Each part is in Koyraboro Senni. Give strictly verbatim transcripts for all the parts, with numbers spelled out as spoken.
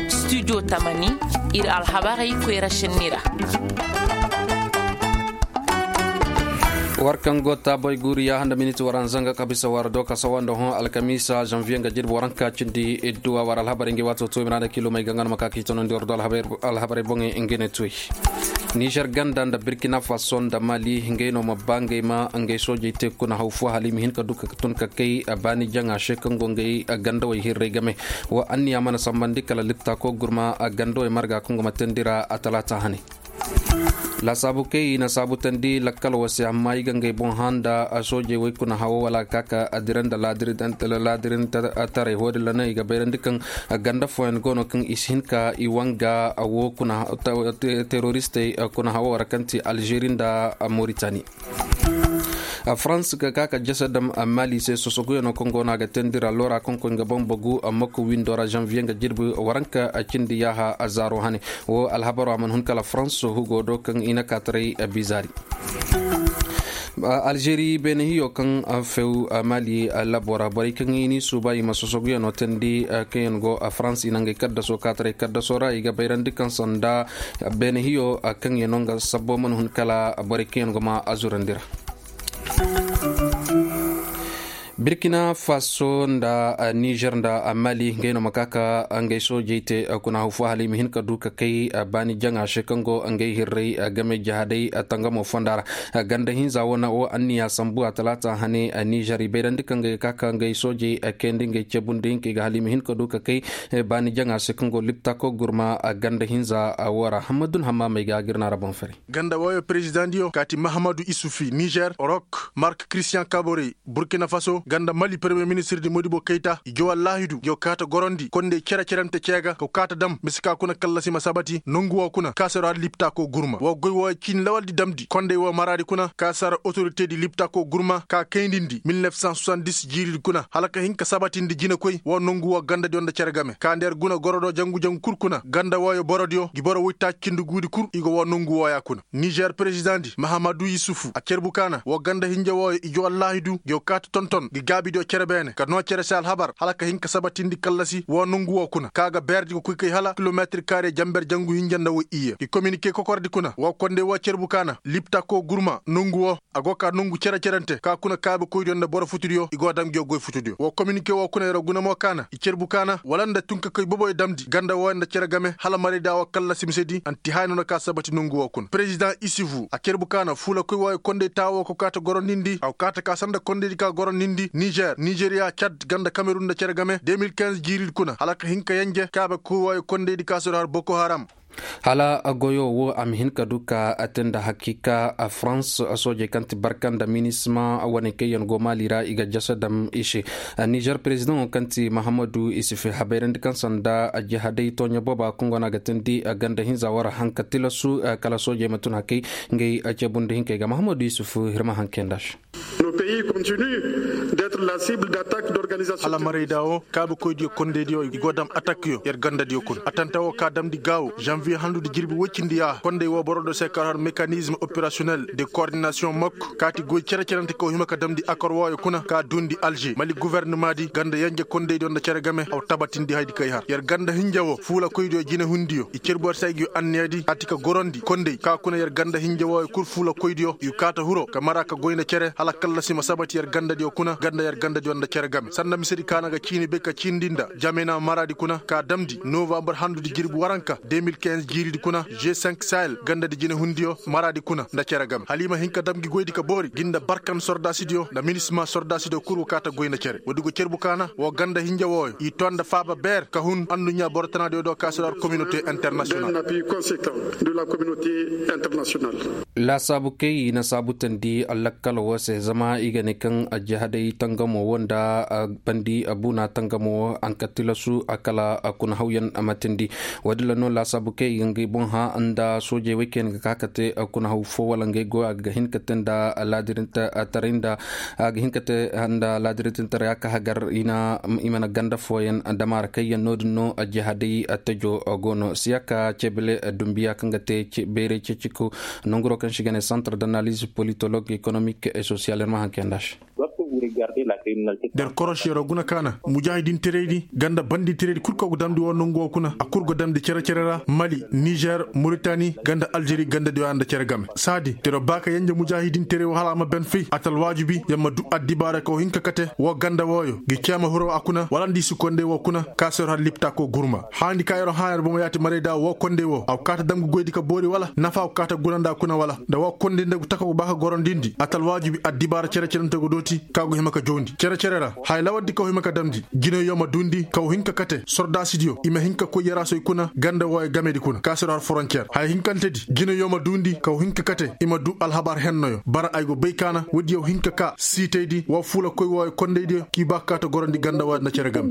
Studio tamani, ir alhabarey koyra šenni ra. War kaŋ go taaboy guuriya handa miniti waranza nga kabisa war do ka sawa nda hõ alkamiisa zanviye nga jirbi waranka cindi idduwa war alhabarey ngey waato tuwey miraada kilo may ga nga no ma ka ka i tonandi war do alhabarey boŋey ngey ne tuwey. Nizer ganda nda birkina faso nda mali ngey no ma ba ngey ma ngey soojey te kuna haw fo hala i ma hin ka du ka tun ka kay baani jaŋa se kaŋ go ngey gandawey hirrey game. Wo anniya mana sambandi kala lipta ko gurma gandawey marga kaŋ go ma tendira a talaata hane. Laasaabu kay i na saabu tandi lakkal wo se amma i ga ngey boŋ hã nda soojey wey kuna hawo wala ka ka dira nda laadirintaray wo- din ra no i ga bayrandi kaŋ ganda fooyaŋ go no kaŋ i si hin ka i wanga wo kuna teroristey kuna hawo ra kaŋ ti alžeri nda moritani. Farans ga ka ka jasa dam mali se sosoguyaŋo kaŋ go no a ga teendi ra loora kaŋ koy nga bambagu mako windo ra zanviye nga jirbi waranka cindi yaaha zaaro hane. Wo alhabaro a mana hun kala farans hugo do kaŋ i na kaataray bizaari. Alžeri beene hiyo kaŋ few mali labo ra borey kaŋ i n'i suuba i ma sosoguyaŋo teendi kaŋyaŋ go farans i na ngey kaddaso kaataray kaddaso ra i ga bayrandi kaŋ sanda beene hiyo kaŋyaŋo nga sabbo mana hun kala borey kaŋyaŋ go ma a zurandi ra. Birkina faso nda nizer nda mali ngey no ma ka ka ngey soojey te kuna haw fo hala i ma hin ka du ka kay baani jaŋa se kaŋ go ngey hirrey game jahadey tangamo fonda ra. Ganda hinza wane wo anniya sambu a talaata hane nizer i bayrandi kaŋ ga ka ka ngey soojey kayandi ngey ceebundi hinkey ga hala i ma hin ka du ka kay baani jaŋa se kaŋ go liptako gurma ganda hinza wo ra hammadun hammaamey ga a ga ir na ra boŋ fari. Ganda wooyo perezidaŋ diyo kaati mahamadu isufi nizer rok mark kristiyaŋ kaborey burkina faso ganda mali peremiyer ministir di modibo kayta i jowa laahidu yo kaata gorondi kondey cere-cerante ceega ka kaata dam mise ka kuna kallasi ma sabati nongu woo kuna ka sara har lipta ko gurma woo goy wooyo ciini lawaldi damdi kondey woo maraadi kuna ka sara otoritedi lipta ko gurma ka kayndindi mil nef san suwandis jiiridi kuna hala ka hin ka sabatindi jinekoy woo nongu woo gandadiyo nda cere game ka ndeer guna gorodoo jangu-jangu kul kuna ganda wooyo borodiyo ngi boro woy taaci cindi guudi kul i go woo nongu wooya kuna nizer perezidaŋ di mahamadu yusufu a cerbu kaana woo ganda hinja wooyo i joo allaahidu ngi yo kaata tonton ngi gaabidiyo cere beene ka noo cere se alhabar hala ka hin ka sabatindi kallasi woo nongu woo kuna ka ga beerdi go koy kay hala kilometir kaare jamber jangu hinja nda woy iyye ngi kominike kokordi kuna woo kondey woo cerbu kaana lipta koo gurma nongu woo a go ka nongu cere-cerante ka kuna kaabe koydiyo nda boro futudiyo i go dam ngi yo goy futudiyo woo kominike woo kuna yer guna mo kaana i cerbu kaana wala nda tun ka kay boboyo damdi ganda wooyo nda cere game hala marayda woo kallasi misedi anti haay no na ka sabati nongu woo kuna perezidaŋ isifu a cerbu kaana fuula koy wooyo kondey taawo ko kaata gorondindi a go kaata ka sanda kondeydi ka gorondindi nizer nizeriya cad ganda kamerun nda cere game deux mil quinze jiiridi kuna hala ka hin ka yenje kaabe koy wooyo kondeydi ka soro har boko haram. Hala goyo wo a ma hin ka du ka a te nda hakiika farans soojey kaŋ ti barka nda minisma wane kaŋ yaŋ go maali ra i ga jasa dam i se. Nizer perezidaŋo kaŋ ti mahamadu isufi habayrandi kaŋ sanda jihaday tooɲa booba kaŋ go no a ga teendi ganda hinza wara hanka tilasu kala soojey ma tun hakay ngey ceebundi hinkey ga mahamadu isufi hirma hankey nda se. Hala marayda wo kaabe koydiyo kondeydiyo i go dam atakyo yer gandadiyo kuna atanta wo ka damdi gaawo zanviye handudi jirbi woy cindi yaaha kondey wo boro do se kar har mekanizm operasiyonel de koordinasiyoŋ mok kaati goy cere-cerante ka wo hima ka damdi akor wooyo kuna ka duundi alže mali guvernemadi ganda yenje kondeydiyo nda cere game aw tabatindi haydi kay har yer ganda hinja wo fuula koydiyo jinehundiyo i cerbu war se ay ga yo anniyadi kaati ka gorondi kondey ka kuna yer ganda hinja wooyo kul fuula koydiyo i kaata huro ka mara ka goy nda cere hala kallasi ma sabati yer gandadiyo kuna ganda yer gandadiyo nda cere game sanda misedi ka na ga ciini bay ka ciindi nda jamena maraadi kuna ka damndi novambar handudi jirbi waranka deux mil quinze jiiridi kuna g cinq sahel gandadi jinehundiyo maraadi kuna nda cere game hala i ma hin ka dam ngi goydi ka boori ngi nda barkan sordaasidiyo nda minisma sordaasidiyo kul wo kaata goy nda cere woodi go cerbu kaana woo ganda hinja wooyo i too nda faaba beer ka hun anduɲɲa boro tanaadiyo do ka sodar kominote internasiyonal. Laasaabu kay i na saabu teendi lakkal woo se zama i ga ne kaŋ jihaday tangamo woo nda bandi buuna tangamo woo a nka tilasu kala kuna hawyaŋ ma teendi. Woodin ra no laasaabu kay i ga ngey boŋ hã nda soojey wey kaŋ yaŋ ga ka ka te kuna haw foo wala ngey go a ga hin ka te nda laadirintaray nda a ga hin ka te nda laadirintaray a ka hagar i na i mana ganda fooyaŋ damaara kayyaŋ no- din no jihaday tejo go no siyaka cebele dumbiya kaŋ ga te bayray ceeciku nonguroo kaŋ se i ga ne santar d'analiz politolog ekonomik e sosiyal yer ma haŋ kayyaŋ nda se. Der koroš yeroo guna kaana mujaahidinteraydi ganda bandinteraydi kul ka go damndi woo nongu woo kuna a kul go damndi cere-cere ra mali nizer moritani ganda alžeri gandadiyo ya nda cere game saadi yer ba ka yenje mujaahidinteray woo hala a ma ben fay a ta alwaajibi yer ma duu addibaara ka woo hin ka kate woo ganda wooyo ngi ceema hiro a kuna wala nda i si konday woo kuna ka se yer har lipta koo gurma haandi ka yer hãa yer bomo yaati marayda woo konday woo a go kaa ta dam ga goydi ka boori wala nafa go kaa ta guna nda a kuna wala nda woo konday nda go taka go ba ka gorondindi a ta alwaajibi addibaara cere-cerante go dooti ka go hima ka jawndi cere-cere ra haya lawardi ka go hima ka damndi jinayyo ma duundi ka go hin ka kate sordaasidiyo i ma hin ka koy yaraasoy kuna ganda wooyo gamedi kuna ka se yer har forontiyer haya hinkantedi jinayyo ma duundi ka go hin ka kate i ma duu alhabar hennoyo bara ay go bay kaana woodiyo hin ka kaa siitaydi woo fuula koy wooyo kondaydiyo k'i ba ka kaa ta gorondi ganda wooyo nda cere game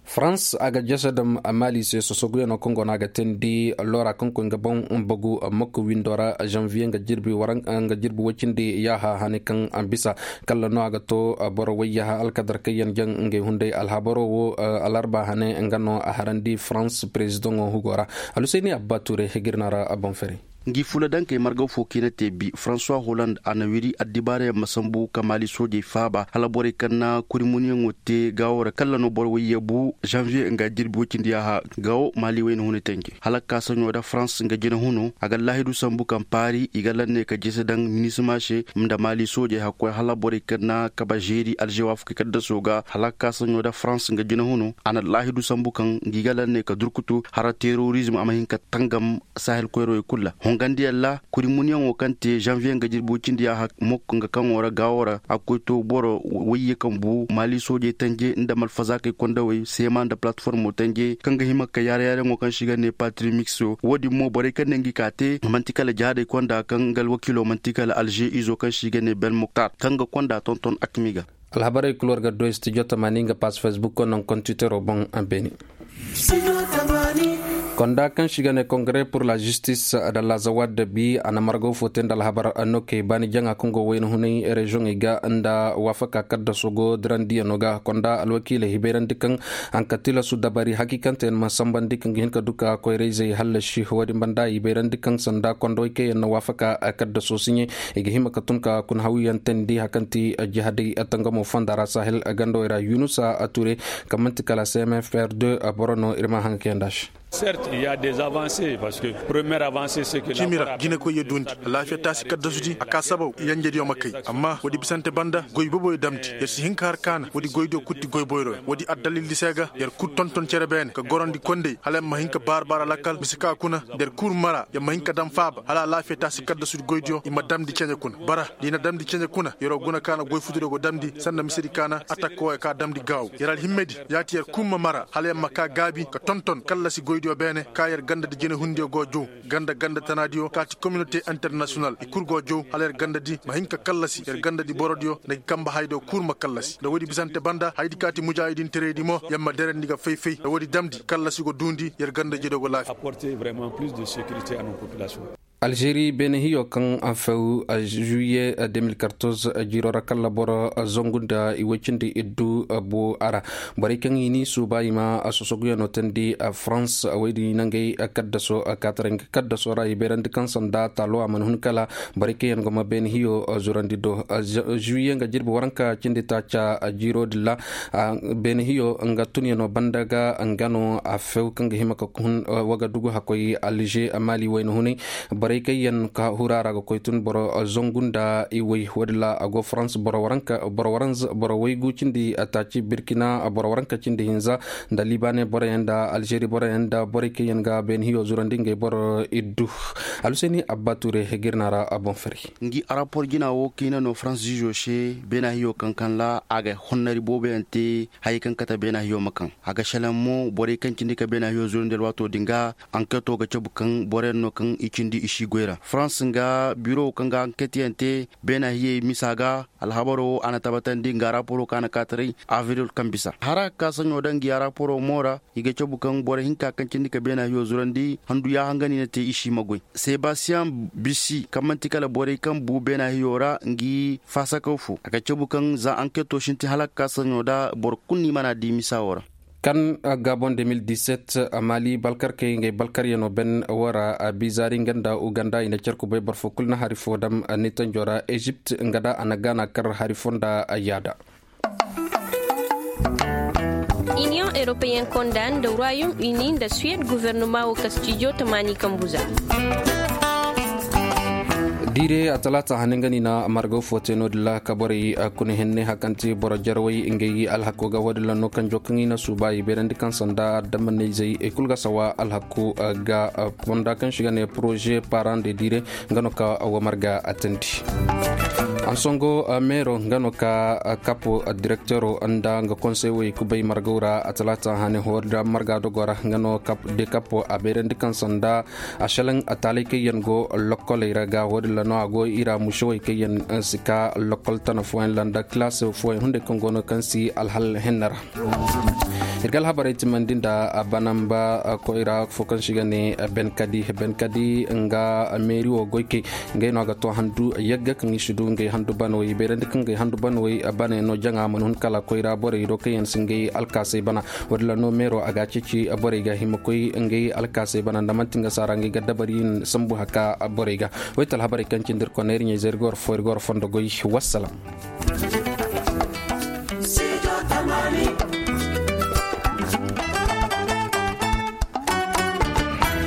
farans a ga jese dam maali se sosoguyanoo kaŋ go no a ga teendi loora kaŋ koy nga boŋ bagu mokko windoo ra zanviye nga jirbi woy cindi yaaha hane kaŋ bisa kalla no a ga to boro woy yaaha alkadar kaŋ yaŋ jaŋ ngey hunday alhabaroo wo alarba hane nga no a harandi farans perezidaŋo hugoo ra. Alhusayni abba ture hegirna ra a boŋ fere. Ngi fuula dankey margaw fo kaŋ i na te bi fransuwa holand a na wiri addibaarayaŋ ma sambu ka maali soojey faaba hala borey kaŋ na kurimuniyaŋo te gaawo ra kalla no boro wayye bu zanviye nga jirbi woy cindi yaaha gaawo maali wayna hune tenje hala ka ka saɲo da farans nga jina huno a ga laahidu sambu kaŋ paari i ga lanney ka jese daŋ minisima se nda maali soojey hakkoy hala borey kaŋ na kaba žeeri alžewaafukey kaddasoo ga hala ka ka saɲo da farans nga jina huno a na laahidu sambu kaŋ ngi ga lanney ka durkutu hara terorizm a ma hin ka tangam sahel koyrowey kul ra hongandiyaŋ ra kurimuniyaŋo kaŋ te zanviye nga jirbi woy cindi yaaha mokko nga kaŋo ra gaawo ra a ga koy to boro wayye kaŋ bu maali soojey tanje nda malfazaakey kondawey seema nda palatformo tanje kaŋ ga hima ka yaara-yaarayaŋo kaŋ se i ga ne patrimix wo-din mo borey kaŋ ne ngi ka te man'ti kala jihaadey konda kaŋ nga alwakiilo man'ti kala alže izo kaŋ se i ga ne ben moktar kaŋ ga konda tonton akmi ga. Alhabarey kul war ga doy stijo tamaani nga pass facebook ko naŋ kontitero boŋ a beeni. Konda kaŋ se i ga ne kongre pur la žistis da lazawa dabi a na margaw fo te nda alhabar nokey baani jaŋa kaŋ go wayna hunay reziyoŋey ga nda waafaka kaddaso go dirandiyanoo ga konda alwakiiley hibayrandi kaŋ hanka tilasu dabari hakiikanteyaŋ ma sambandi kaŋ ga hin ka du ka koyra-izey hallasi wo-din banda hibayrandi kaŋ sanda kondawey kaŋ yaŋ na waafaka kaddaso siɲe i ga hima ka tun ka kuna hawyaŋ teendi hari kaŋ ti jihadey tangamo fonda ra sahel gandawey ra yunusa ture kaŋ man'ti kala cmfr deux boro no ir ma haŋ ga kayandi a se. Cimi ra jinekoy ya duundi alaafiya taasi kaddasudi a ka sabaw yanjediyo ma kay amma woodi bisante banda goy boboyo damndi yer si hin ka har kaana woodi goydiyo kul ti goy boyroyo woodi addalildi se ga yer kul tonton cere beene ka gorandi kondey hala yer ma hin ka baara-baara lakkal mise ka kuna nda yer kul mara yer ma hin ka daŋ faaba hala alaafiya taasi kaddasudi goydiyo i ma damndi ceɲe kuna bara nda i na damndi ceɲe kuna yeroo guna kaana goy futudiyo go damndi sanda misedi kaana atakka wooyo ka damndi gaaw yer alhimmedi yaati yer kul ma mara hala yer ma kaa gaabi ka tonton kallasi goydiyo beene ka yer gandadi jinehundiyo go jow ganda ganda tanaadiyo ka ti kominote internasiyonal i kul go jow hala yer gandadi ma hin ka kallasi yer gandadi borodiyo nda gi kamba hayadiyo kul ma kallasi nda woodi bisante banda hayadi ka ti mujaahidinteraydi mo yer ma derandi ga fay-fay nda woodi damndi kallasi go duundi yer gandadiyo go laafiya. Alžeri beene hiyo kaŋ few juwiye deux mille quatorze jiiro ra kalla boro zangu nda i woy cindi iddu bu a ra borey kaŋ i n'i suuba i ma sosoguyanoo teendi farans woy din i na ngey kaddaso kaataray nga kaddaso ra i bayrandi kaŋ sanda taalo a mana hun kala borey kaŋ yaŋ go ma beene hiyo zurandi do juwiye nga jirbi waranka cindi taaca jiiro din ra beene hiyo nga tunyanoo banda ga nga no a few kaŋ ga hima ka hun wagadugu hakkoy alže maali wayna hunay borey kaŋ yaŋ ka hura ra ga koy tun boro zangu nda i way woodin ra a go farans boro waranka boro waranz boro waygu cindi taaci birkina boro waranka cindi hinza nda libaane boroyaŋ nda alžeri boroyaŋ nda borey kaŋ yaŋ ga beene hiyo zurandi ngey boro iddu. Alhusayni abba ture hegirna ra a boŋ fari. Ngi arapor jina wo kaŋ i na no farans zizo se beena hiyo kaŋ kaŋ ra a ga honnari booboyaŋ te hayey kaŋ kate beena hiyo ma kaŋ a ga selaŋ mo borey kaŋ cindi ka beena hiyo zurandi alwaato din ga anketo ga cabu kaŋ boroyaŋ no kaŋ i cindi i si goy ra farans nga biro kaŋ ga anket yaŋ te beena hiyey misa ga alhabaro wo a na tabatandi nga raporo kaŋ a na kaataray avril kaŋ bisa hara ka saɲo daŋ ngi araporo mo ra i ga cabu kaŋ boro hinka kaŋ cindi ka beena hiyo zurandi handu yaaha nga no i na te i si ma goy sebastiyaŋ bisi kaŋ manti kala borey kaŋ bu beena hiyo ra ngi faasakaw fo a ga cabu kaŋ za anketo sintin hala ka ka saɲo da boro kulu no i mana di misa wo ra. Kan gabon de mil diset, mali balkarkey ngey balkaryano ben wara, bizaari nga nda uganda i na car kubay boro fo kulu na hari fo dam. Nitanjo ra ezipt nga da a na gana kar hari fo nda yaada. Iniyoŋ eropeyen konda nda royaume uni nda suwed guvernoma wo ka stijo tamaani kambuza. Diire a talaata hane nga ni na margaw fo te no- din ra ka borey kuna henne hakanti boro jarawey ngey alhako ga wo- din ra no kanjo kaŋ i na suuba i beerandi kaŋ sanda dambanizey i kulu ga sawa alhako ga fonda kaŋ si ga ne poroze paran de diire nga no ka wo marga a tandi. Ansongo meero nga no ka kapo direktero nda nga konsey wey kubay margaw ra a talaata hane hori da marga dogo ra nga no de kapo a beerandi kaŋ sanda a selaŋ a taalay kaŋ yaŋ go lokkoley ra ga wo- din ra no a go i ra musewey kaŋ yaŋ si ka lokkol tana fooyaŋ ra nda kilaas fooyaŋ hunday kaŋ go no kaŋ si alhal henna ra. Ir ga alhabarey timandi nda banamba koyra fo kaŋ si ga ne benkadi benkadi nga meeri wo goykey. Ngey no a ga to handu yagga kaŋ i si du ngey handu banawey beerandi kaŋ ngey handu banawey bana yaŋ no jaŋa mana hun kala koyra borey do kaŋ yaŋ si ngey alkaasey bana. Wo- din ra no meero a ga a ceeci borey ga hima koy ngey alkaasey bana nda manti nga saara ngey ga dabari sambu haka borey ga. Way ti alhabarey kaŋ cindi ir kone ir ɲayzey ir ga war fo ir ga war fondo goy. Wassalam.